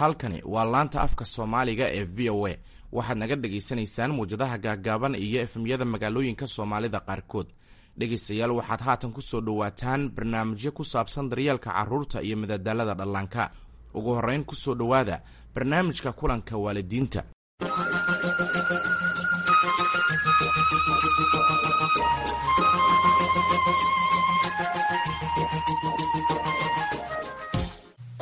Halkani waa laanta afka Soomaaliga ee VOA. Waxaad naga dhagaysanaysaan muwjadaha gaaggaaban iyo FM-yada magaalooyinka Soomaalida qaarkood. Dhegaystayaal, waxaad haatan ku soo dhowaataan barnaamijyo ku saabsan daryeelka carruurta iyo madadaalada dhallaanka. Ugu horrayn, ku soo dhowaada barnaamijka kulanka waalidiinta.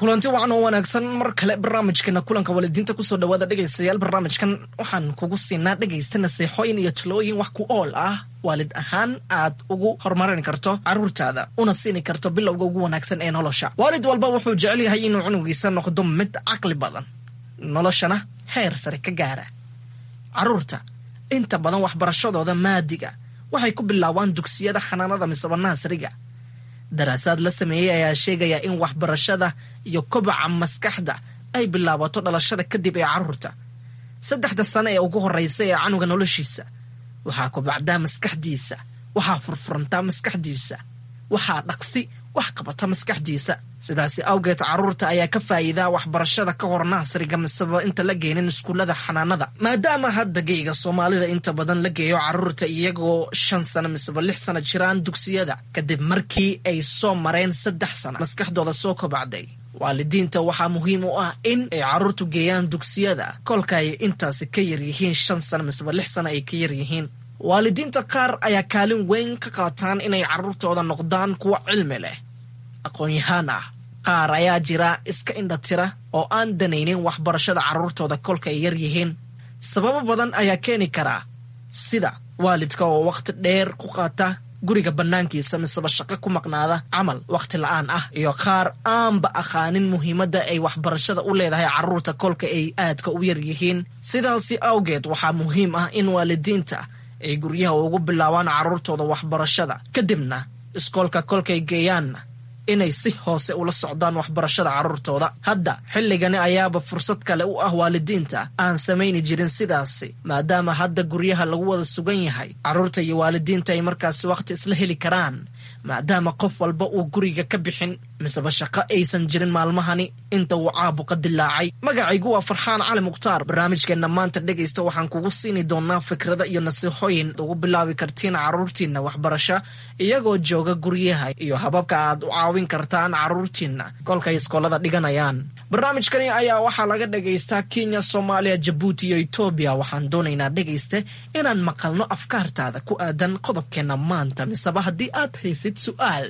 Kulanti wacan oo wanaagsan mar kale, barnaamijkeena kulanka waalidiinta kusoo dhawaada, dhegaystayaal. Barnaamijkan waxaan kugu siinaa, dhegaysta, naseexooyin iyo talooyin wax ku ool ah, waalid ahaan aad ugu horumarin karto caruurtaada una siini karto bilowga ugu wanaagsan ee nolosha. Waalid walba wuxuu jecel yahay inuu cunugiisa noqdo mid caqli badan, noloshana heer sare ka gaara. Caruurta inta badan waxbarashadooda maadiga waxay ku bilaabaan dugsiyada xanaanada misaba nursery-ga. Daraasaad la sameeyey ayaa sheegaya in waxbarashada iyo kobaca maskaxda ay bilaabato dhalashada kadib ee caruurta. 3da sano ee ugu horeysa ee canuga noloshiisa waxaa kobacdaa maskaxdiisa, waxaa furfurantaa maskaxdiisa, waxaa dhaqsi wax qabata maskaxdiisa. Sidaasi awgeed, caruurta ayaa ka faa'iidaa waxbarashada ka hor nursery-ga miseba inta la geenin iskuullada xanaanada, maadaama hadda geyga Soomaalida inta badan la geeyo caruurta iyagoo 5 sano miseba 6 sano jiraan dugsiyada, kadib markii ay soo mareen 3 sano maskaxdooda soo kobacday. Waalidiinta waxaa muhiim u ah in ay caruurtu geeyaan dugsiyada kolka ay intaasi ka yaryihiin 5 sano miseba 6 sano ay ka yaryihiin. Waalidiinta qaar ayaa kaalin weyn ka qaataan inay caruurtooda noqdaan kuwa cilmi leh, aqoon-yahaan ah. Qaar ayaa jira iska indhatira oo aan danaynin waxbarashada carruurtooda kolka ay yar yihiin. Sababo badan ayaa keeni karaa, sida waalidka oo wakhti dheer ku qaata guriga bannaankiisa miseba shaqo ku maqnaada camal, wakhti la'aan ah, iyo qaar aanba aqaanin muhiimadda ay waxbarashada u leedahay carruurta kolka ay aadka u yar yihiin. Sidaasi awgeed, waxaa muhiim ah in waalidiinta ay guryaha ugu bilaabaan carruurtooda waxbarashada, kadibna iskoolka kolkay geeyaanna inay si hoose ula socdaan waxbarashada carruurtooda. Hadda xilligani ayaaba fursad kale u ah waalidiinta aan samayni jirin sidaasi, maadaama hadda guryaha lagu wada sugan yahay, carruurta iyo waalidiinta ay markaasi wakhti isla heli karaan, maadaama qof walba uu guriga ka bixin miseba shaqo aysan jirin maalmahani inta uu caabuqa dilaacay. Magacaygu waa Farxaan Cali Mukhtaar. Barnaamijkeenna maanta, dhegaysta, waxaan kugu siini doonaa fikrada iyo nasiixooyin ugu bilaabi kartiin carruurtiinna waxbarasho iyagoo jooga guryaha iyo hababka aad u caawin kartaan carruurtiinna kolkay iskoolada dhiganayaan. Barnaamijkani ayaa waxaa laga dhagaystaa Kenya, Soomaaliya, Jabuuti iyo Etoobiya. Waxaan doonaynaa, dhegayste, inaan maqalno afkaartaada ku aadan qodobkeenna maanta, miseba haddii aad haysid su'aal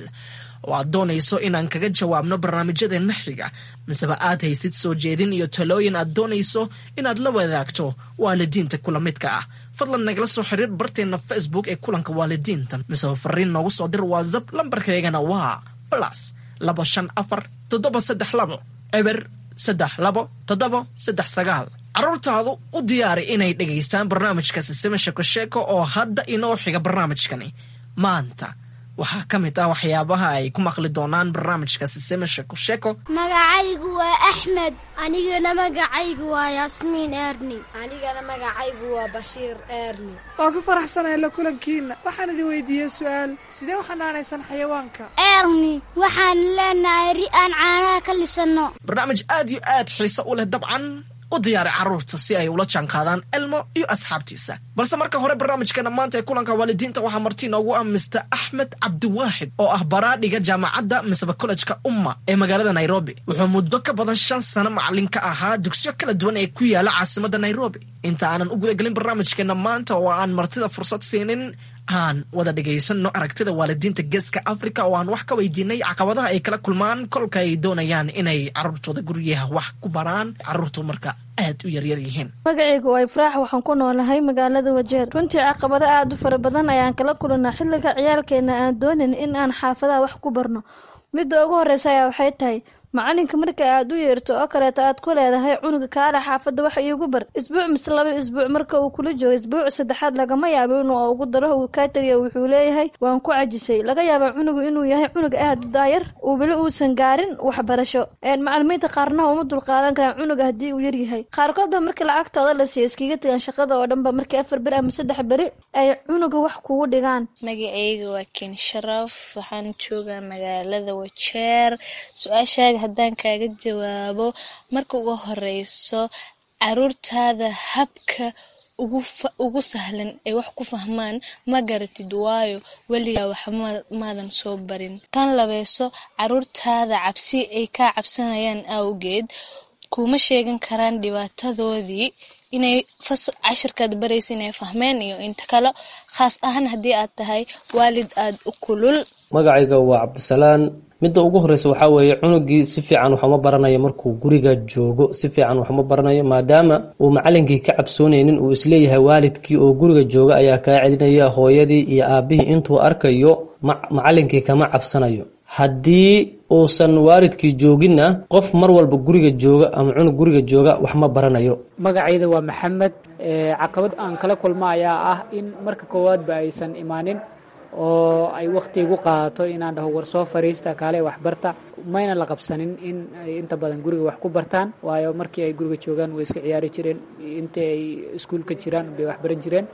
oo aad doonayso inaan kaga jawaabno barnaamijyadeenna xiga, miseba aad haysid soo jeedin iyo talooyin aad doonayso inaad la wadaagto waalidiinta kula midka ah, fadlan nagala soo xiriir barteenna Facebook ee kulanka waalidiinta, miseba fariin noogu soo dir WhatsApp. Lambarkaygana waa +254 732 032 739. Carruurtaadu u diyaari inay dhegaystaan barnaamijka Sisime Sheeko Sheeko oo hadda inoo xiga. Barnaamijkani maanta waxaa ka mid ah waxyaabaha ay ku maqli doonaan barnaamijka Sisime Sheeko Sheeko. Magacaygu waa Axmed. Anigana magacaygu waa Yaasmiin Eerni. Anigana magacaygu waa Bashiir Eerni. Waa ku faraxsanahay la kulankiinna. Waxaan idin weydiiyey su'aal: sidee u xanaanaysan xayawaanka? Eerni, waxaan leenahay ri aan caanaha ka lisanno. Barnaamij aad iyo aad xiise u leh dabcan. U diyaari carruurta si ay ula jaanqaadaan Elmo iyo asxaabtiisa. Balse marka hore, barnaamijkeena maanta ee kulanka waalidiinta waxaa marti inoogu ah Mister Axmed Cabdiwaaxid oo ah baraadhiga jaamacadda miseba kollejka Umma ee magaalada Nairobi. Wuxuu muddo ka badan 5 sano macalin ka ahaa dugsiyo kala duwan ee ku yaala caasimadda Nairobi. Inta aanan u gudagelin barnaamijkeena maanta oo aan martida fursad siinin, aan wada dhegaysanno aragtida waalidiinta Geeska Africa oo aan wax ka weydiinay caqabadaha ay kala kulmaan kolka ay doonayaan inay carruurtooda guryaha wax ku baraan, carruurtu marka aad u yaryar yihiin. Magacaygu waa Ifraax, waxaan ku noolahay magaalada Wajeer. Runtii caqabado aada u fara badan ayaan kala kulanaa xilliga ciyaalkeena aan doonin in aan xaafadaha wax ku barno. Midda ugu horeysa ayaa waxay tahay macalinka marka aad u yeerto oo kaleeto aad ku leedahay cunuga kaala xaafadda wax iigu bar, isbuuc mise 2 isbuuc marka uu kula joogo, isbuuc saddexaad lagama yaabo inuu ugu daro, uu kaa tegayo. Wuxuu leeyahay waan ku cajisay. Laga yaabaa cunugu inuu yahay cunug aad u daayar, uu weli uusan gaarin waxbarasho. Macalimiinta qaarna uma dulqaadan karaan cunuga haddii uu yaryahay. Qaarkood ba markii lacagtooda la siiya iskaga tegaan shaqada oo dhan ba, markii 4 beri ama 3 beri ay cunuga wax kugu dhigaan. Magacayga waa Ken Sharaf, waxaan joogaa magaalada Wajeer. Su-aashaaga Haddaan kaaga jawaabo, marka ugu horeyso caruurtaada habka ugu sahlan ay wax ku fahmaan ma garatid, waayo weligaa wax maadan soo barin. Tan labeyso, caruurtaada cabsi ay kaa cabsanayaan awgeed kuma sheegan karaan dhibaatadoodii inay cashirkaad baraysa inay fahmeen iyo inta kale, khaas ahaan haddii aad tahay waalid aada u kulul. Magacayga waa Cabdisalaan. Midda ugu horeysa waxaa weeye, cunugii si fiican waxuma baranayo markuu guriga joogo, si fiican waxuma baranayo, maadaama uu macalinkii ka cabsoonaynin, uu isleeyahay waalidkii oo guriga jooga ayaa kaa celinaya, hooyadii iyo aabihii intuu arkayo macalinkii kama cabsanayo. Haddii uusan waalidkii jooginna, qof mar walba guriga jooga ama cunug guriga jooga wax ma baranayo. Magacayda waa Maxamed. Caqabad aan kala kulma ayaa ah in marka koowaadba aysan imaanin oo ay wakhti igu qaadato inaan dhaho, "War soo fariista, kaale waxbarta." Mayna la qabsanin in ay inta badan guriga wax ku bartaan, waayo markii ay guriga joogaan way iska ciyaari jireen, intii ay iskuulka jiraan bay wax baran jireen.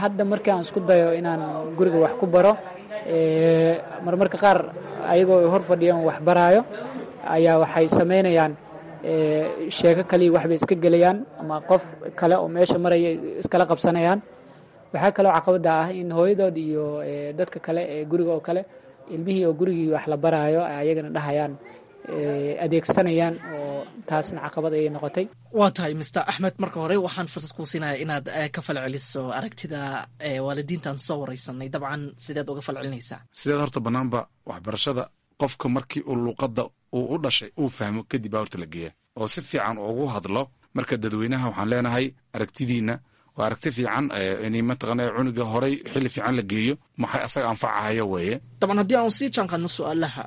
Hadda markii aan isku dayo inaan guriga wax ku baro, marmarka qaar ayagoo ay hor fadhiyaan wax baraayo ayaa waxay samaynayaan sheeko kaliya, waxbay iska gelayaan ama qof kale oo meesha maraya iskala qabsanayaan. Waxaa kaloo caqabada ah in hooyadood iyo dadka kale ee guriga oo kale ilmihii oo gurigii wax la baraayo ayagana dhahayaan, adeegsanayaan, oo taasna caqabad ayay noqotay. Waa tahay, Mister Axmed. Marka hore waxaan fursad kuu siinaya inaad ka falceliso aragtida waalidiintaan soo wareysanay. Dabcan, sideed uga falcelinaysaa? Sideed horta banaanba waxbarashada qofka markii uu luuqadda uu u dhashay uu fahmo kadib baa horta la geeya oo si fiican ugu hadlo. Marka dadweynaha waxaan leenahay, aragtidiina waa aragti fiican in mataqaana cunuga horay xilli fiican la geeyo, maxay asaga anfacahayo weeye. Dabcan, haddii aan sii jaanqaadno su-aalaha,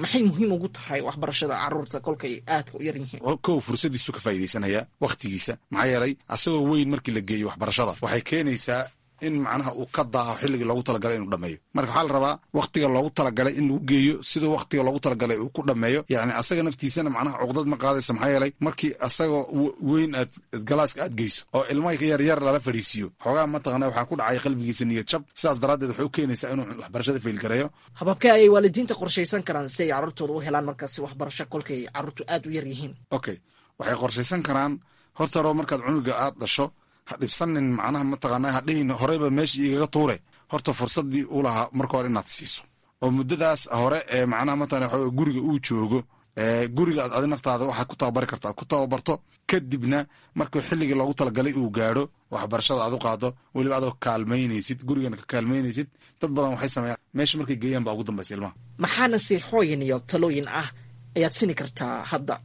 maxay muhiim ugu tahay waxbarashada caruurta kolkay aadka u yar yihiin? Kow, fursadiisu ka faa'iidaysanaya wakhtigiisa, maxaa yeelay asagoo weyn markii la geeyo waxbarashada waxay keenaysaa in macnaha uu ka daaho xilligii loogu talagalay inuu dhameeyo. Marka waxaa la rabaa wakhtiga loogu talagalay in lagu geeyo, siduu wakhtiga loogu talagalay uu ku dhameeyo. Yacni asaga naftiisana macnaha cuqdad ma qaadaysa, maxaa yeelay markii asagoo weyn aad galaaska aad geyso oo ilmaha yar yar lala fadhiisiiyo, xoogaa mataqana waxaa ku dhacay qalbigiisa niyad jab. Sidaas daraaddeed waxay u keenaysaa inuu waxbarashada failgareeyo. Hababkee ayay waalidiinta qorshaysan karaan si ay carruurtooda u helaan markaasi waxbarasho kolkay carruurtu aad u yar yihiin? Okay, waxay qorshaysan karaan horta hore markaad cunuga aad dhasho, ha dhibsanin, macnaha mataqaana ha dhihin horeyba meesha igaga tuure. Horta fursaddii u lahaa marka hore inaad siiso oo muddadaas hore ee macnaha mataqana waxa guriga uu joogo, guriga aad adi naftaada waxaad ku tababari karta aad ku tababarto. Kadibna markuu xilligii loogu talagalay uu gaadho, waxbarashada aad u qaado, weliba adoo kaalmaynaysid, gurigana ka kaalmaynaysid. Dad badan waxay sameeyaan, meesha markay geeyaan baa ugu dambaysa ilmaha. Maxaa nasiixooyin iyo talooyin ah ayaad sini kartaa hadda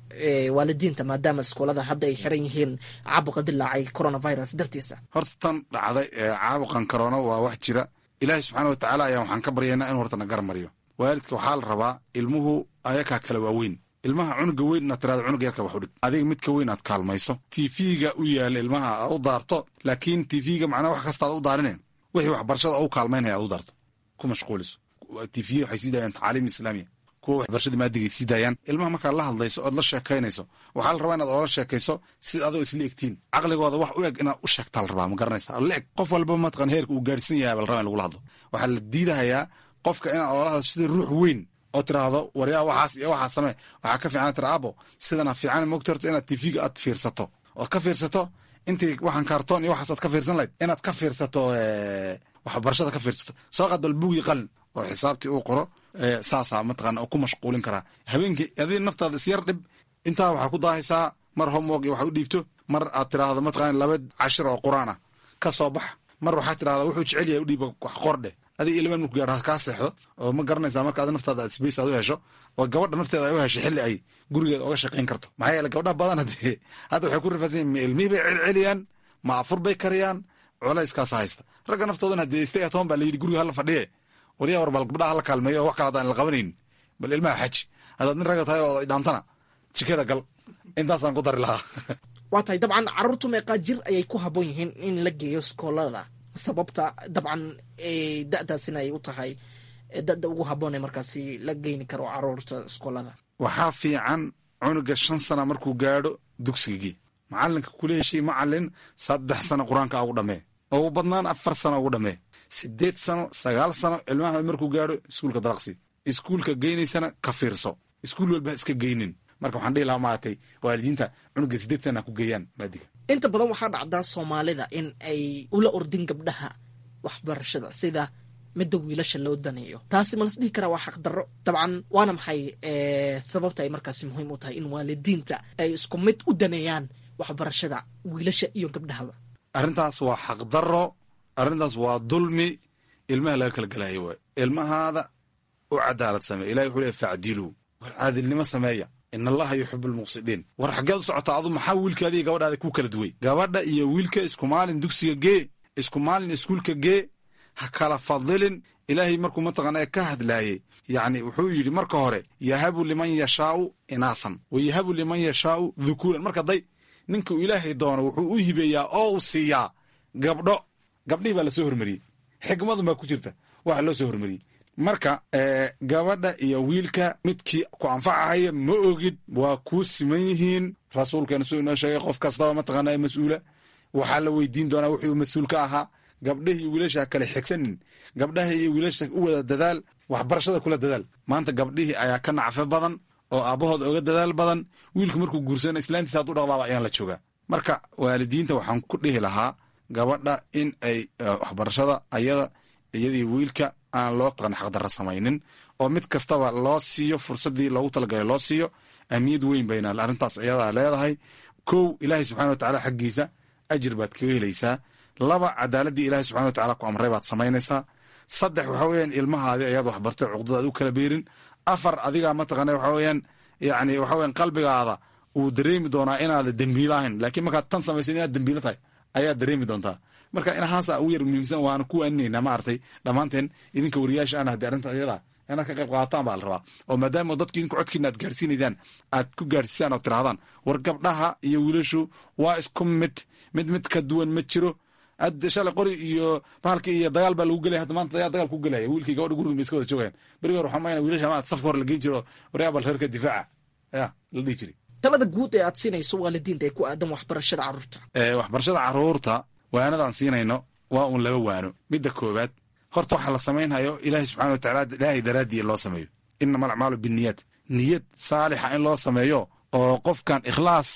waalidiinta, maadaama iskoolada hadda ay xiran yihiin caabuqa dilaacay coronavirus dartiisa? Horta tan dhacday caabuqan corona waa wax jira. Ilaahay subxaana wa tacaala ayaa waxaan ka baryaynaa inuu horta na garmariyo. Waalidka waxaa la rabaa, ilmuhu ayakaa kala waaweyn, ilmaha cunuga weyn inaad tirahdo cunuga yarka wax u dhig, adiga midka weyn aad kaalmayso, TV-ga u yaala ilmaha aad u daarto, laakiin TV-ga macnaha wax kasta aad u daarine, wixii waxbarashada u kaalmaynaya aad u daarto, ku mashquuliso. TV waxay sii daayaan tacaaliim islaamiya, kuwa waxbarashada maadigay sii daayaan. Ilmaha markaad la hadlayso ood la sheekaynayso, waxaa la rabaa inaad oola sheekayso sida adoo isla egtiin, caqligooda wax u eg inaad u sheegtaa la rabaa, ma garanaysa? La eg qof walba mataqan heerka uu gaarhsan yahay baa la rabaa in lagula hadlo. Waxaa la diidahayaa qofka inaad oola hadlo sida ruux weyn oo tiraahdo, "Waryaa, waxaas iyo waxaas samee." Waxaa ka fiican tira, "Abo, sidana fiican mogta." Horta inaad TV-ga aad fiirsato ood ka fiirsato intii waxaan kaartoon iyo waxaas aad ka fiirsan lahayd, inaad ka fiirsato waxbarashada ka fiirsato. Soo qaad bal buugii, qalin oo xisaabtii uu qoro, saasaa mataqaana oo ku mashquulin karaa habeenkii. Adiga naftaada isyar dhib, intaa waxaa ku daahaysaa mar homework iyo waxa u dhiibto, mar aad tiraahdo mataqaana laba cashir oo qur-aan ah ka soo bax, mar waxaa tirahdaa wuxuu jecel yahay u dhiiba, wax qordheh. Adiga ilmaan marku gaadho kaa seexdo oo ma garanaysaa. Marka adi naftaada aad space aad u hesho oo gabadha nafteeda ay u hesho xilli ay gurigeeda oga shaqayn karto, maxaa yeele gabdhaha badan hadee hadda waxay ku rifaasan yihin, ma ilmihii bay celceliyaan, ma afur bay kariyaan, culayskaasa haysta. Ragga naftoodana hadee stay at home baa la yidhi, guriga hala fadhiye. Waryaa, war bal gabdhaha hala kaalmeeyo, wax kale haddaan la qabanayn bal ilmaha xaji. Haddaad nin ragga tahay oo dhaantana, jikada gal. Intaasaan ku dari lahaa. Waa tahay. Dabcan, carruurtu meeqaa jir ayay ku habboon yihiin in la geeyo iskoolada? Sababta dabcan da'daasina ay u tahay da'da ugu habboon ee markaasi la geyni karo carruurta iskoolada? Waxaa fiican cunuga 5 sana markuu gaadho dugsigagii, macalinka kula heshay macalin 3 sano qur-aanka ugu dhamee, ugu badnaan 4 sano ugu dhamee. 8 sano, 9 sano ilmaha markuu gaadho, iskuulka dalaqsi. Iskuulka geynaysana ka fiirso. Iskuul walba ha iska geynin. Marka waxaan dhihi lahaa, maaragtay, waalidiinta cunuga 8 sana ha ku geeyaan maadiga. Inta badan waxaa dhacdaa Soomaalida in ay ula ordin gabdhaha waxbarashada sida midda wiilasha loo daneeyo. Taasi ma las dhihi karaa waa xaqdarro? Dabcan, waana maxay sababta ay markaasi muhiim u tahay in waalidiinta ay isku mid u daneeyaan waxbarashada wiilasha iyo gabdhahaba? Arrintaas waa xaqdarro, arrintaas waa dulmi ilmaha laga kala gelaayo. Waay ilmahaada u cadaalad sameeya. Ilahi wuxuu leey: "Facdiluu", war caadilnimo sameeya. "In Allaha yuxibu almuqsidiin." War xaggeed u socotaa adu? Maxaa wiilkaada iyo gabadhaada kuu kala duway? Gabadha iyo wiilka isku maalin dugsiga gee, isku maalin iskuulka gee, ha kala fadilin. Ilaahay markuu mataqaana ka hadlaayey, yacni wuxuu yidhi marka hore: "Yahabu liman yashaau inaathan wa yahabu liman yashaau dhukuuran." Marka day ninkuu Ilaahay doono wuxuu u hibeeyaa oo uu siiyaa gabdho. Gabdhihii baa lasoo hormariyey, xikmadun baa ku jirta waxa loo soo hormariyey. Marka gabadha iyo wiilka midkii ku anfacahaya ma ogid, waa kuu siman yihiin. Rasuulkeena suu inoo sheegay, qof kastaba mataqaana mas-uula waxaa la weydiin doonaa wuxuu mas-uul ka ahaa. Gabdhahi iyo wiilasha ha kale xigsanin, gabdhaha iyo wiilasha u wada dadaal, waxbarashada kula dadaal. Maanta gabdhihii ayaa ka nacfo badan oo aabbahooda oga dadaal badan. Wiilku markuu guursana islaantiisa hadduu dhaqdaaba ayaan la joogaa. Marka waalidiinta waxaan ku dhihi lahaa gabadha in ay waxbarashada ayada iyadii wiilka aan loo taqan xaqdarra samaynin, oo mid kastaba loo siiyo fursaddii loogu talagalay loo siiyo. Ahmiyad weyn bayna arrintaas iyadaa leedahay. Kow, Ilaahay subxana wa tacaala xaggiisa ajir baad kaga helaysaa. Laba, cadaaladdii Ilaahay subxana wa tacala ku amray baad samaynaysaa. Saddex, waxa weeyaan ilmahaadi ayaad waxbartay cuqdada aad u kala beerin. Afar, adigaa mataqaana waxa weeyaan, yacni waxa weeyaan qalbigaada uu dareemi doonaa inaada dembiilo ahayn, laakiin markaad tan samaysan inaad dembiilo tahay ayaad dareemi doontaa. Marka inahaasa ugu yar muhiimsan waana ku waaninaynaa, maaragtay, dhammaanteen idinka wariyaasha ana haddii arrinta iyada inaad ka qayb qaadataan baa la rabaa, oo maadaama dadki idinku codkiina aad gaarsiinaysaan, aad ku gaarsiisaan oo tirahdaan: "War gabdhaha iyo wiilashu waa isku mid, mid mid ka duwan ma jiro." Shalay qori iyo bahalki iyo dagaal baa lagu gelaya, hadda maanta dagaal ku gelaya. Wiilkii gabadha guriga bay iska wada joogayaan. Berigi hore waxaa mayna wiilasha ma safka hore la geyn jiro, waryaa bal reerka difaaca ya la dhihi jiray. Talada guud ee aad siinayso waalidiinta ee ku aadan waxbarashada carruurta? Waxbarashada carruurta waanadaan siinayno waa uun laba waano. Midda koowaad, horta waxa la samaynhayo Ilaahay subxana wa tacala, Ilaahay daraaddii loo sameeyo. "Innama alacmaalu binniyaat." Niyad saalixa in loo sameeyo oo qofkan ikhlaas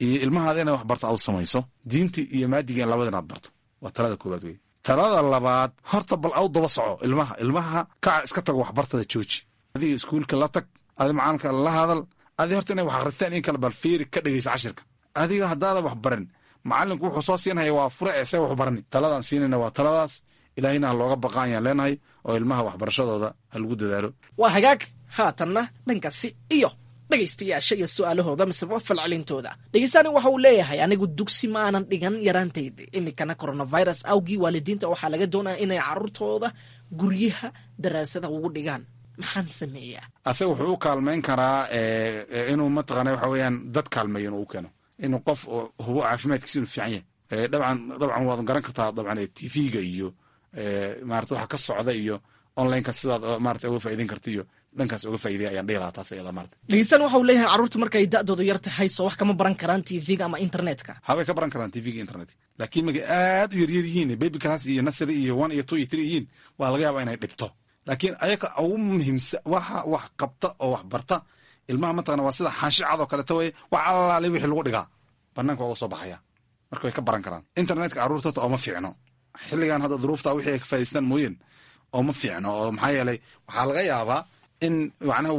iyo ilmahaada inay wax barto aad u samayso, diintii iyo maadiga in labada inaad barto, waa talada koowaad wey. Talada labaad, horta bal aw daba soco ilmaha. Ilmaha kaca iska tago, waxbartada jooji, adiga iskuulka la tag, adi macalinka la hadal, adi horta inay wax akhristaan in kale bal fiiri, ka dhegeysa cashirka. Adiga haddaada wax barin, macalinku wuxuu soo siinhaya waa fure ee see wax barani. Taladaan siinayna waa taladaas. Ilaahayna ha looga baqa ayaan leenahay, oo ilmaha waxbarashadooda ha lagu dadaalo. Waa hagaag. Haatanna dhankaasi iyo dhegaystayaasha iyo su-aalahooda miseba falcelintooda. Dhegeystaani waxa uu leeyahay: "Anigu dugsi ma aanan dhigan yaraantayda, iminkana coronavirus awgii waalidiinta waxaa laga doonaya inay carruurtooda guryaha daraasada ugu dhigaan. Maxaan sameeyaa?" Asaga wuxuu u kaalmayn karaa inuu mataqaana waxa weeyaan dad kaalmeeyo, inuu u keeno inuu qof hubo caafimaadkiisa inuu fiican yahay. Dabcan waad garan kartaa, dabcan TV-ga iyo maarata waxa ka socda iyo onlineka sidaad maarata uga faa'iideyn karta iyo dhankaas uga faa'iideya ayaan dhihi lahaa taas iyada maarata. Dhegeystaan waxa uu leeyahay: "Carruurtu markay da'doodu yar tahay soo wax kama baran karaan TV-ga ama internetka?" Habay ka baran karaan TV-ga, internetka, laakiin markay aad u yaryar yihiin, baby class iyo nursery iyo 1 iyo 2 iyo 3 yihiin, waa laga yaabaa inay dhibto. Laakiin ayaga ugu muhiimsan waxa wax qabta oo wax barta ilmaha mataqana waa sida xaashi cad oo kaleeto weye. Wax allaale wixii lagu dhigaa banaanka uga soo baxaya. Marka way ka baran karaan internetka. Carruurta horta ooma fiicno xilligan hadda duruufta, wixii ay ka faa'idaystaan mooyeen ooma fiicno, oo maxaa yeelay waxaa laga yaabaa in macnaha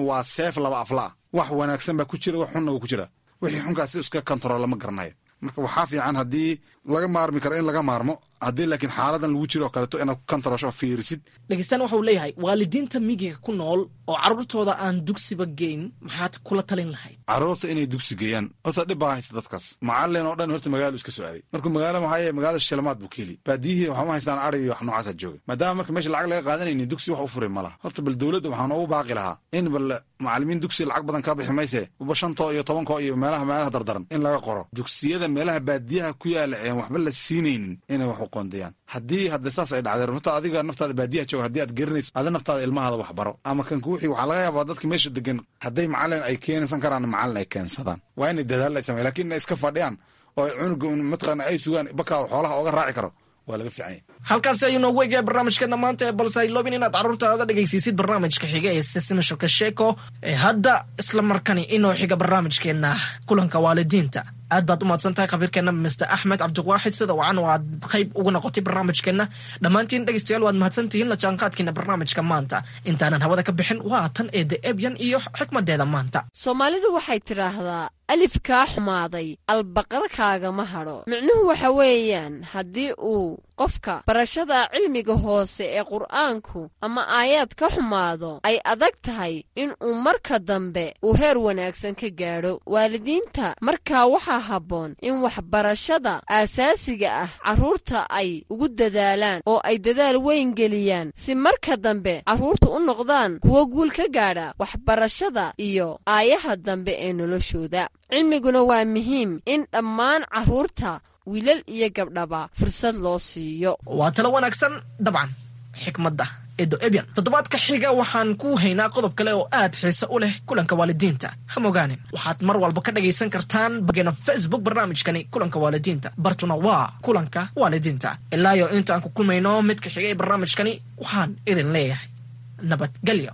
waa seef laba afla ah. Wax wanaagsan baa ku jira, wax xunna waa ku jira. Wixii xunkaas si iska control ma garanayo. Marka waxaa fiican haddii laga maarmi karo in laga maarmo, haddii laakiin xaaladan lagu jiro oo kaleeto inaad ku controlsho oo fiirisid. Dhegeystaan waxa uu leeyahay: "Waalidiinta miyiga ku nool oo carruurtooda aan dugsiba geyn maxaad kula talin lahayd?" Carruurta inay dugsi geeyaan horta dhib baa haysta dadkaas. Macalin oo dhan horta magaalo iska soo aaday. Markuu magaalo maxaa yeele magaalada shilmaad buu ka heli, baadiyihii waxma haystaan, ari iyo wax noocaasa jooga. Maadaama marka meesha lacag laga qaadanaynin, dugsi wax u furi ma laha. Horta bal dowladda waxaan noogu baaqi lahaa in bal macalimiin dugsi lacag badan kaa bixi mayse, uba shantoo iyo tobankoo iyo meelaha dardaran in laga qoro dugsiyada meelaha baadiyaha ku yaala een waxba la siinaynin, inay wax u qoondayaan. Haddii hadda saas ay dhacdeen, horta adiga naftaada baadiyaha jooga haddii aad garanayso, ada naftaada ilmahaada wax baro ama kan kuwixii. Waxaa laga yaabaa dadka meesha degan hadday macalin ay keensan karaan, macalin ay keensadaan, waa inay dadaal ay sameyan. Lakin inay iska fadhiyaan oo cunuga mataqaana ay sugaan bakaa xoolaha ooga raaci karo Waa laga fiican yahay. Halkaasi ayuu noogu egaya barnaamijkeena maanta ee balse hayloobin inaad carruurtaada dhegaysiisid barnaamijka xiga ee Sisimi Sheeko ee hadda isla markani inoo xiga barnaamijkeena kulanka waalidiinta. Aad baad u mahadsan tahay khabiirkeena Mr Axmed Cabdiwaaxid, sida wacan oo aad qayb uga noqotay barnaamijkeena. Dhammaantiin dhegaystayaal waad mahadsantihiin la jaanqaadkiina barnaamijka maanta. Intaanan hawada ka bixin, waa tan eede Ebyan iyo xikmadeeda maanta. Soomaalidu waxay tidhaahdaa, alif kaa xumaaday albaqarkaagama hadho. Micnuhu waxa weeyaan, haddii uu qofka barashada cilmiga hoose ee Qur'aanku ama aayaad ka xumaado, ay adag tahay in uu marka dambe uu heer wanaagsan ka gaadho. Waalidiinta markaa waxaa habboon in waxbarashada aasaasiga ah carruurta ay ugu dadaalaan oo ay dadaal weyn geliyaan, si marka dambe carruurtu u noqdaan kuwo guul ka gaadha waxbarashada iyo aayaha dambe ee noloshooda. Cilmiguna waa muhiim in dhammaan carruurta, wiilal iyo gabdhaba, fursad loo siiyo. Waa talo wanaagsan dabcan xikmadda Edo Ebyan. Toddobaadka xiga waxaan ku haynaa qodob kale oo aad xiise u leh kulanka waalidiinta. Ha mogaanin, waxaad mar walba ka dhagaysan kartaan bageena Facebook barnaamijkani kulanka waalidiinta, bartuna waa kulanka waalidiinta. Ilaa iyo intaan ku kulmayno midka xiga ee barnaamijkani, waxaan idin leeyahay nabadgelyo.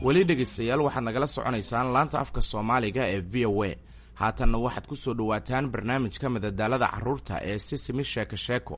Weli dhegaystayaal, waxaad nagala soconaysaan laanta afka Soomaaliga ee VOA. Haatanna waxaad ku soo dhowaataan barnaamijka madadaalada carruurta ee Sisimi Sheeko Sheeko.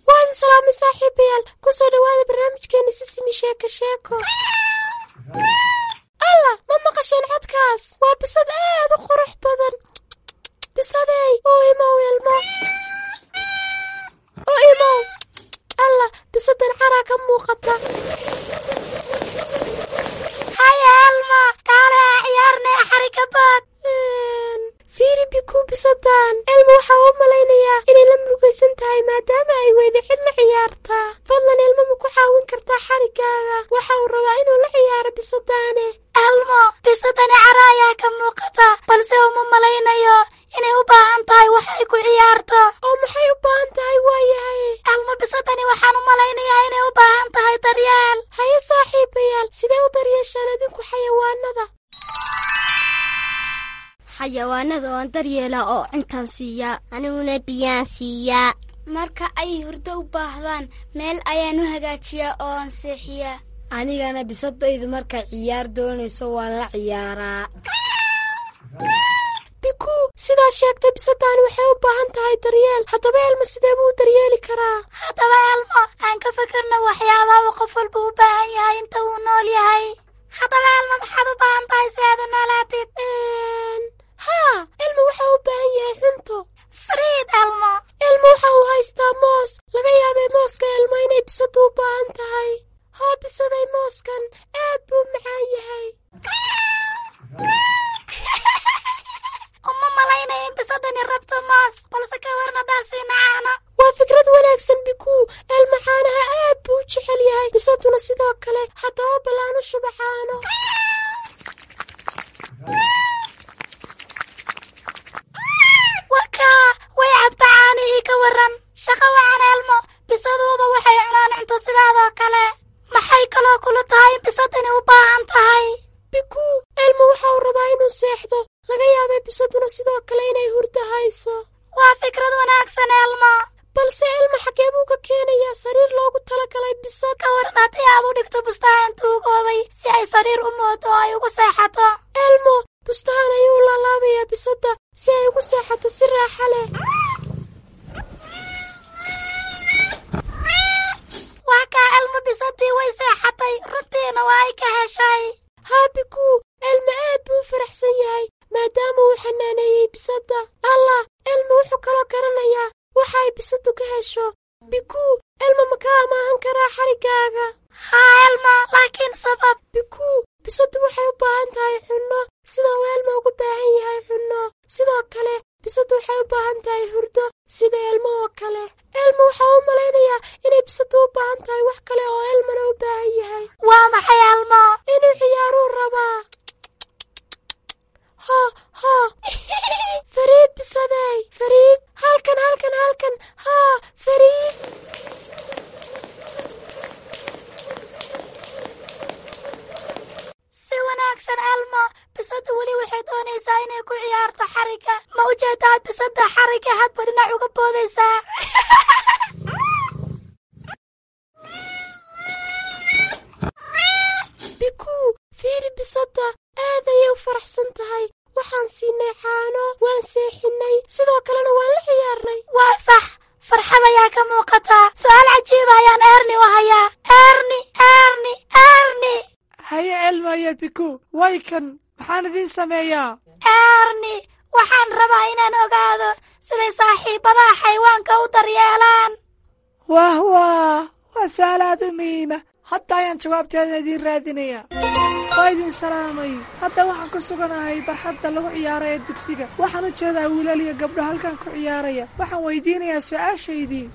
Waan salaamay saaxiibayaal, kusoo dhawaada barnaamijkeena Sisimi Sheeko Sheeko. Alla, ma maqasheen codkaas? Waa bisad aad u qurux badan. Bisadey, oo imow ilmo, oo imow. Alla, bisadan caraa ka muuqata. Haya Alma, kaale ciyaarne xarikabaad. Fiiri Biku, bisadan Elmo waxaa u malaynayaa inay la murugaysan tahay maadaama ay weyda cid la ciyaartaa. Fadlan Elmo, ma ku caawin kartaa xarigaaga? Waxa uu rabaa inuu la ciyaaro bisadaane. Elmo, bisadani cara ayaa ka muuqata, balse uma malaynayo inay u baahan tahay wax ay ku ciyaarto. Oo maxay u baahan tahay waayahay? Elmo, bisadani waxaan u malaynayaa inay u baahan tahay daryeel. Haye saaxiibayaal, sidee u daryeeshaan adinku xayawaanada? Xayawaanada waan daryeelaa oo cuntaan siiyaa. Aniguna biyaan siiyaa. Marka ay hurdo u baahdaan, meel ayaan u hagaajiyaa oo aan seexiyaa. Anigana bisadaydu markay ciyaar doonayso waan la ciyaaraa. Biku, sidaad sheegtay, bisadani waxay u baahan tahay daryeel. Haddaba Elmo, sidee buu u daryeeli karaa? Haddaba Elmo, aan ka fikirno waxyaabaha uu qof walba u baahan yahay inta uu nool yahay. Haddaba Elmo, maxaad u baahan tahay si aad u noolaatid? Haa, Elmo waxa u baahan yahay cunto. Fariid Elmo. Elmo waxa uu haystaa moos. Laga yaabay mooska Elmo inay bisadu u baahan tahay. Hoo bisaday, mooskan aad buu macaan yahay. Uma malaynaya in bisadani rabto moos, balse ka warna daasiina caano. Waa fikrad wanaagsan Bikuu. Elmo caanaha aad buu u jecel yahay, bisaduna sidoo kale. Haddaba balaanu shuba caano. Wakaa, way cabta caanihii, ka waran? Shaqo wacan Elmo, bisaduuba waxay cunaan cunto sidaadoo kale. Maxay kaloo kula tahay in bisadani u baahan tahay? Bikuu, Elmo waxa uu rabaa inuu seexdo. Laga yaabay bisaduna sidoo kale inay hurdo hayso. Waa fikrad wanaagsan Elmo. Balse Elmo, xagee buu ka keenayaa sariir loogu talagalay bisad? Ka waran haddii aad u dhigto bustahan tuugoobay si ay sariir u moodo oo ay ugu seexato? Elmo bustahan ayuu u laalaabayaa bisadda si ay ugu seexato si raaxa leh. Waa kaa Elmo, bisadii way seexatay, runtiina waa ay ka heshay. Haa Bikuu, Elmo aad buu u faraxsan yahay maadaama uu xanaaneeyey bisadda. Allah, Elmo wuxuu kaloo garanayaa waxa ay bisaddu ka hesho. Bikuu, Elmo ma ka amaahan karaa xariggaaga? Haa Elmo, laakiin sabab. Bikuu, bisaddu waxay u baahan tahay cunno sida uu Elmo ugu baahan yahay cunno. Sidoo kale bisaddu waxay u baahan tahay hurdo sida Elmo oo kale. Elmo waxaa u malaynayaa inay bisaddu u baahan tahay wax kale oo Elmona u baahan yahay. Waa maxay Elmo? Inuu ciyaaruu rabaa. Ho ho, Fariid bisadey, Fariid, halkan halkan halkan, haa Fariid. Si wanaagsan Elmo, bisaddu weli waxay doonaysaa inay ku ciyaarto xarigga. Ma u jeedaa bisadda xarigga hadba dhinac uga boodaysaa? Bikuu, fiiri bisadda, aad ayay u faraxsan tahay. Waxaan siinay caano, waan seexinnay, sidoo kalena waan la ciyaarnay. Waa sax, farxad ayaa ka muuqataa. Su'aal cajiiba ayaan Erni u hayaa. Erni, Erni, Erni. Haye Elmo iyo Biku, way kan, maxaan idiin sameeyaa? Erni, waxaan rabaa inaan ogaado siday saaxiibadaha xayawaanka u daryeelaan. Wah wah, waa su'aal aad u muhiima. Hadda ayaan jawaabteeda idiin raadinayaa. Waa idin salaamay. Hadda waxaan ku suganahay barxadda lagu ciyaara ee dugsiga. Waxaan u jeedaa wiilal iyo gabdho halkan ku ciyaaraya. Waxaan weydiinayaa su'aashaydii.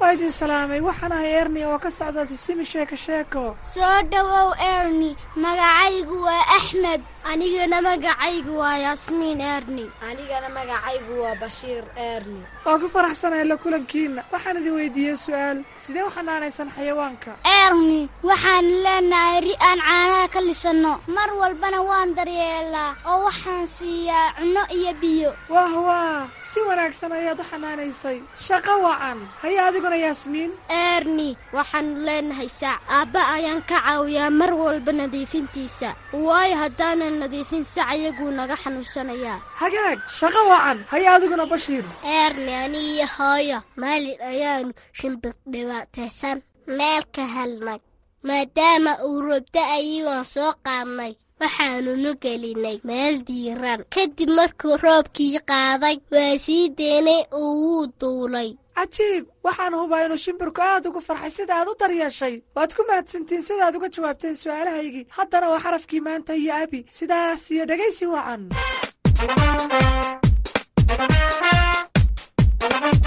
Waa idin salaamay. Waxaan ahay Erni oo ka socda Sisimi Sheeko Sheeko. Soo dhowow Erni, magacaygu waa Axmed. Anigana magacaygu waa Yaasmiin Erni. Anigana magacaygu waa Bashiir Erni. Waa ku faraxsanahay la kulankiina. Waxaan idin weydiiyey su'aal. Sidee u xanaanaysan xayawaanka? Erni, waxaan leenahay ri aan caanaha ka lisanno. Mar walbana waan daryeelaa oo waxaan siiyaa cunno iyo biyo. Wah wah, si wanaagsan ayaad u xanaanaysay. Shaqo wacan. Haye adiguna Yaasmiin. Erni, waxaanu leenahay sac. Aabba ayaan ka caawiyaa mar walba nadiifintiisa. Waayo haddaanan nadiifin sac iyaguu naga xanuunsanayaa. Hagaag, shaqo wacan. Haye adiguna Bashiir. Erni, anigiyo hooyo maalin ayaanu shimbir dhibaataysan meel ka helnay. Maadaama uu roob da'ayay waan soo qaadnay. Waxaanunu gelinay meel diiran. Kadib markuu roobkii qaaday waa sii deynay oo wuu duulay. Cajiib, waxaan hubaa inuu shimbirku aad ugu farxay sida aad u daryeeshay. Waad ku mahadsantiin sidaad uga jawaabteen su'aalahaygii. Haddana waa xarafkii maanta iyo Abi. Sidaas iyo dhegaysi wacan.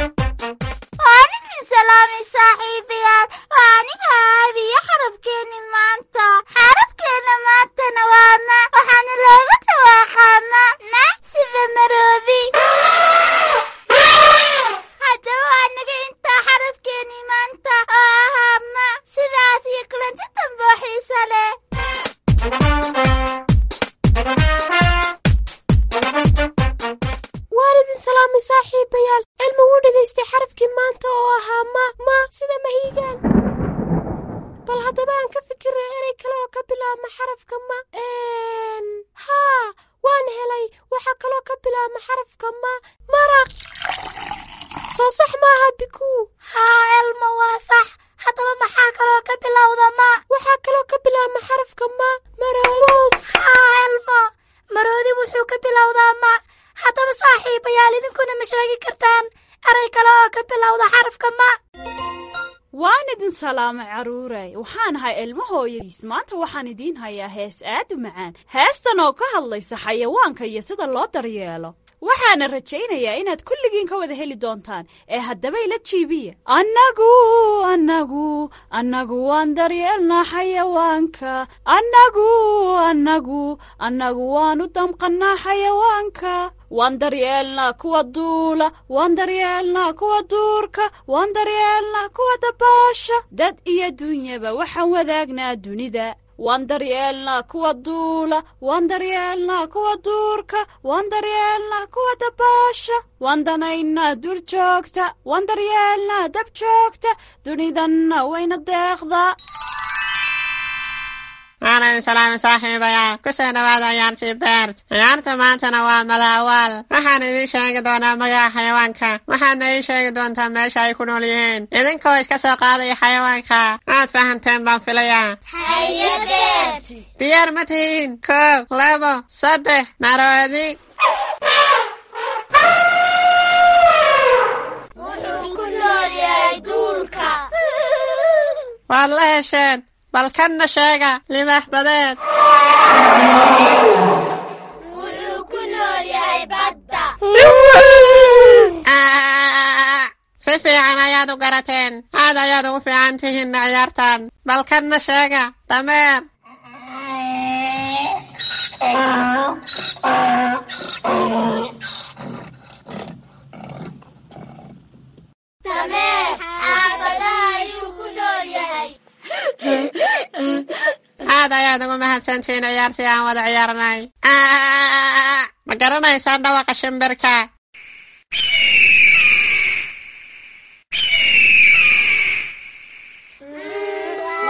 Waan idin salaamay saaxiibayaal. Waa aniga Abi iyo xarafkeenni maanta. Xarafkeenna maantana waa ma. Waxaana looga dhawaaqaa ma. Ma sida maroobi. Haddaba waa naga intaa xarafkeenni maanta oo ahaa ma. Sidaas iyo kulanti dambe oo xiiso leh. Waan idin salaamay saaxiibayaal. Elmo wuu dhegaystay xarafkii maanta oo ahaa ma, ma sida mahiigaan. Bal haddaba aan ka fikirno erey kale oo ka bilaabma xarafka ma. Haa, waan helay. Waxaa kaloo ka bilaabma xarafka ma, maraq. Soo sax maaha Bikuu? Haa Elmo, waa sax. Haddaba maxaa kaloo ka bilowda ma? Waxaa kaloo ka bilaabma xarafka ma, maroos. Haa Elmo, maroodi wuxuu ka bilowdaa ma. Haddaba saaxiibayaal, idinkuna ma sheegi kartaan erey kale oo ka bilowda xarafka ma? Waan idin salaamay carruuray. Waxaan ahay Elmo hooyadiis. Maanta waxaan idiin hayaa hees aad u macaan, heestan oo ka hadlaysa xayawaanka iyo sida loo daryeelo. Waxaana rajaynayaa inaad kulligiin ka wada heli doontaan ee haddaba ila jiibiya. Annagu annagu annagu waan daryeelnaa xayawaanka. Annagu annagu annagu waan u damqannaa xayawaanka. Waan daryeelnaa kuwa duula, waan daryeelnaa kuwa duurka, waan daryeelnaa kuwa dabaasha. Dad iyo dunyaba waxaan wadaagnaa dunida. Waan daryeelnaa kuwa duula, waan daryeelnaa kuwa duurka, waan daryeelnaa kuwa dabaasha. Waan danaynaa duur joogta, waan daryeelnaa dab joogta, dunidanna wayna deeqdaa. Waan idin salaamay saaxiibayaal. Ku soo dhawaada ciyaartii Beert. Ciyaarta maantana waa malaawaal. Waxaan idiin sheegi doonaa magaca xayawaanka. Waxaadna ii sheegi doontaa meesha ay ku nool yihiin. Idinkoo iska soo qaadaya xayawaanka. Aad fahanteen baan filayaa. Haye Beert. Diyaar ma tihiin? 1, 2, 3, maroodi. Waad la hesheen. Bal kanna sheega, libaax badeed. Wuxuu ku nool yahay badda. Si fiican ayaad u garateen. Aad ayaad ugu fiican tihiin ciyaartan. Bal kanna sheega, dameer. Dameer xaafadaha ayuu ku nool yahay. Aad ayaad ugu mahadsantihiin ciyaartii aan wada ciyaarnay. Ma garanaysaan dhawaqa shimbirka?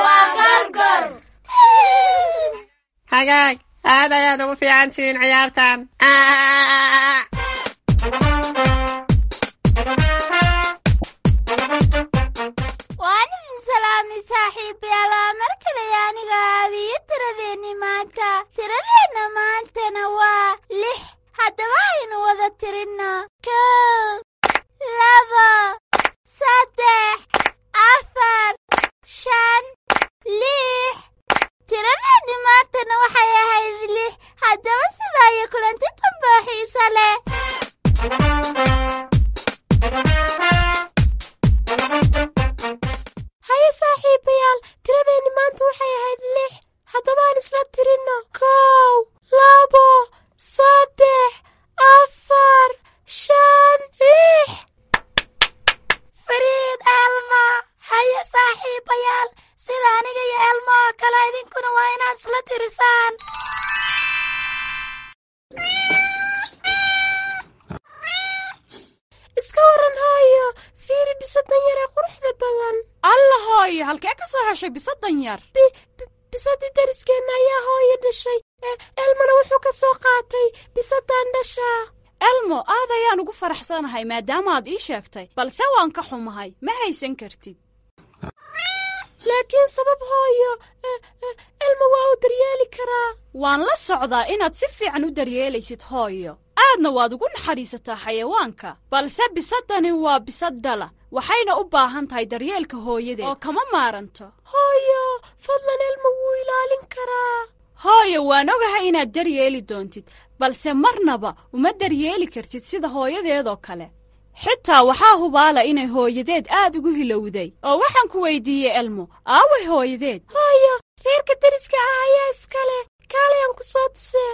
Waa gorgor. Hagaag, aad ayaad ugu fiican tihiin ciyaartan. Waan idin salaamay saaxiibayaal. Waa mar kale aniga aabiyo tiradeenni maanta. Tiradeenna maantana waa 6. Haddaba aynu wada tirinno: 1, 2, 3, 4, 5, 6. Tiradeenni maantana waxay ahayd 6. Haddaba sidaa iyo kulanti dambe oo xiiso leh. Haye saaxiibayaal, tiradeenni maanta waxay ahayd 6. Haddaba aan isla tirinno: 1, 2, 3, 4, 5, 6. Fariid Elma. Haye saaxiibayaal, sida aniga iyo Elma oo kale idinkuna waa inaad isla tirisaan. Iska waran hooyo, fiiri bisadan yar ee quruxda badan. Alla hooyo, halkee ka soo heshay bisadan yar? Bisadii dariskeenna ayaa hooyo dhashay. Elmona wuxuu ka soo qaatay bisadan dhashaa. Elmo, aad ayaan ugu faraxsanahay maadaama aad ii sheegtay, balse waan ka xumahay, ma haysan kartid. Laakiin sabab hooyo, Elmo waa uu daryeeli karaa. Waan la socdaa inaad si fiican u daryeelaysid hooyo, aadna waad ugu naxariisataa xayawaanka, balse bisadani waa bisad dhala, waxayna u baahan tahay daryeelka hooyadeed oo kama maaranto. Hooyo, fadlan, Elmo wuu ilaalin karaa. Hooyo, waan ogahay inaad daryeeli doontid, balse marnaba uma daryeeli kartid sida hooyadeedoo kale. Xitaa waxaa hubaala inay hooyadeed aad ugu hilowday. Oo waxaan ku weydiiyey Elmo, aaway hooyadeed? Hooyo, reerka deriska ah ayaa iskale. Kaalay aan ku soo tusee.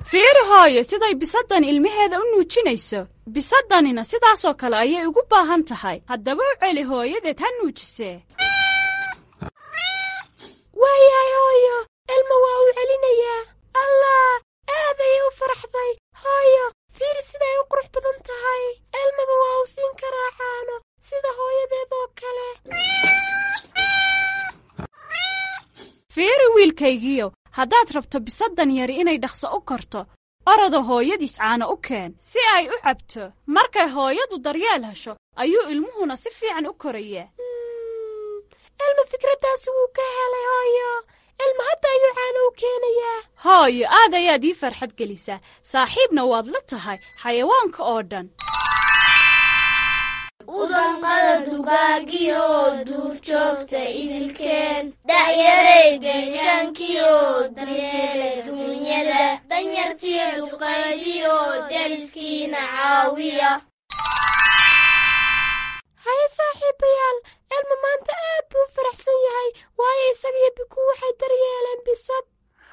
Fiiri hooyo, siday bisaddan ilmaheeda u nuujinayso. Bisaddanina sidaasoo kale ayay ugu baahan tahay. Haddaba u celi hooyadeed ha nuujisee. Waayahay hooyo, Elmo waa uu celinayaa. Allah, aad ayay u faraxday. Hooyo, fiiri siday u qurux badan tahay. Elmaba waa uu siin karaa caano sida hooyadeed oo kale. Fiiri wiilkaygiyo, haddaad rabto bisaddan yari inay dhaqso u korto, orada hooyadiis caano u keen si ay u cabto. Markay hooyadu daryeel hesho ayuu ilmuhuna si fiican u korayaa. Elmo fikraddaasi wuu ka helay hooyo. Elmo hadda ayuu caano u keenayaa. Hooyo, aad ayaad ii farxad gelisaa, saaxiibna waad la tahay xayawaanka oo dhan. Udanqada dugaagiyo duurjoogta idilkeen, da'yaray deegaankiyo daryeela duunyada, danyartiyo duqaydiyo deriskiina caawiya. Haye saaxiibayaal, Elmo maanta aad buu u faraxsan yahay, waayo isaga iyo Bikuu waxay daryeeleen bisad.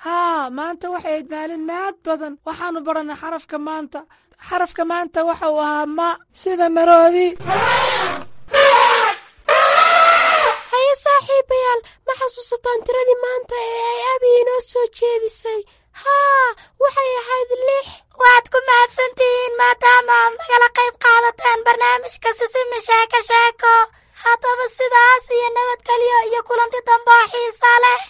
Haa, maanta waxay ahayd maalin mahad badan. Waxaannu barannay xarafka maanta. Xarafka maanta waxa uu ahaa ma, sida maroodi. Haye saaxiibayaal, ma xasuusataan tiradii maanta ee ay abi inoo soo jeedisay? Haa, waxay ahayd 6. Waad ku mahadsantihiin maadaama aad nagala qayb qaadateen barnaamijka Sisimi Sheeko Sheeko. Haddaba sidaas iyo nabadgelyo iyo kulanti dambe oo xiisa leh.